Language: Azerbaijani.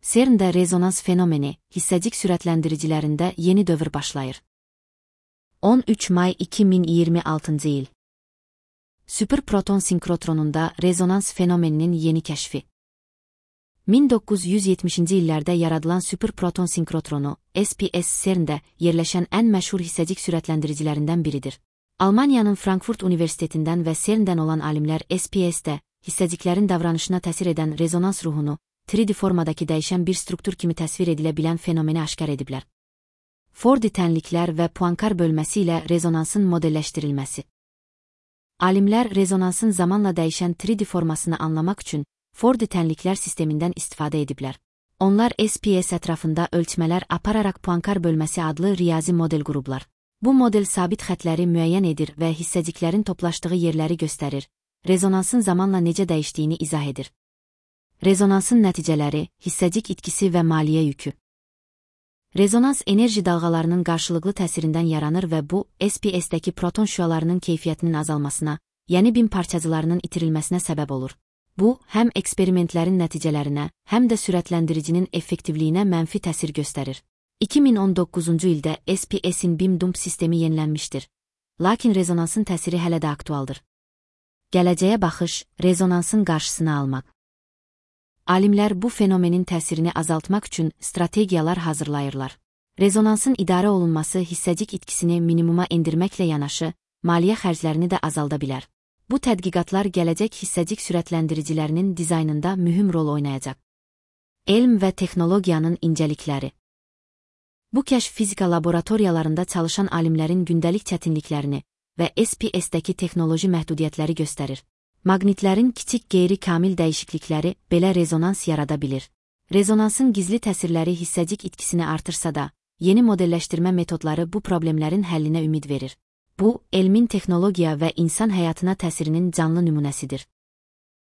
CERN-də rezonans fenomeni, hissəcik sürətləndiricilərində yeni dövr başlayır. 13 may 2026 il. Süperproton sinkrotronunda rezonans fenomeninin yeni kəşfi. 1970-ci illərdə yaradılan süperproton sinkrotronu, SPS CERN-də yerləşən ən məşhur hissəcik sürətləndiricilərindən biridir. Almaniyanın Frankfurt Universitetindən və CERN-dən olan alimlər SPS-də hissəciklərin davranışına təsir edən rezonans ruhunu 3D formadakı dəyişən bir struktur kimi təsvir edilə bilən fenomeni aşkar ediblər. Fordy tənliklər və Poincare bölməsi ilə rezonansın modelləşdirilməsi. Alimlər rezonansın zamanla dəyişən 3D formasını anlamaq üçün Fordy tənliklər sistemindən istifadə ediblər. Onlar SPS ətrafında ölçmələr apararaq Poincare bölməsi adlı riyazi model qurublar. Bu model sabit xətləri müəyyən edir və hissəciklərin toplaşdığı yerləri göstərir, rezonansın zamanla necə dəyişdiyini izah edir. Rezonansın nəticələri, hissəcik itkisi və maliyyə yükü. Rezonans enerji dalğalarının qarşılıqlı təsirindən yaranır və bu, SPS-dəki proton şüalarının keyfiyyətinin azalmasına, yəni bin parçacılarının itirilməsinə səbəb olur. Bu, həm eksperimentlərin nəticələrinə, həm də sürətləndiricinin effektivliyinə mənfi təsir göstərir. 2019-cu ildə SPS-in BIM-DUMP sistemi yenilənmişdir. Lakin rezonansın təsiri hələ də aktualdır. Gələcəyə baxış, rezonansın qarşısını almaq. Alimlər bu fenomenin təsirini azaltmaq üçün strategiyalar hazırlayırlar. Rezonansın idarə olunması hissəcik itkisini minimuma endirməklə yanaşı, maliyyə xərclərini də azalda bilər. Bu tədqiqatlar gələcək hissəcik sürətləndiricilərinin dizaynında mühüm rol oynayacaq. Elm və texnologiyanın incəlikləri. Bu kəşf fizika laboratoriyalarında çalışan alimlərin gündəlik çətinliklərini və SPS-dəki texnoloji məhdudiyyətləri göstərir. Maqnitlərin kiçik qeyri-kamil dəyişiklikləri belə rezonans yarada bilir. Rezonansın gizli təsirləri hissəcik itkisini artırsa da, yeni modelləşdirmə metodları bu problemlərin həllinə ümid verir. Bu, elmin texnologiya və insan həyatına təsirinin canlı nümunəsidir.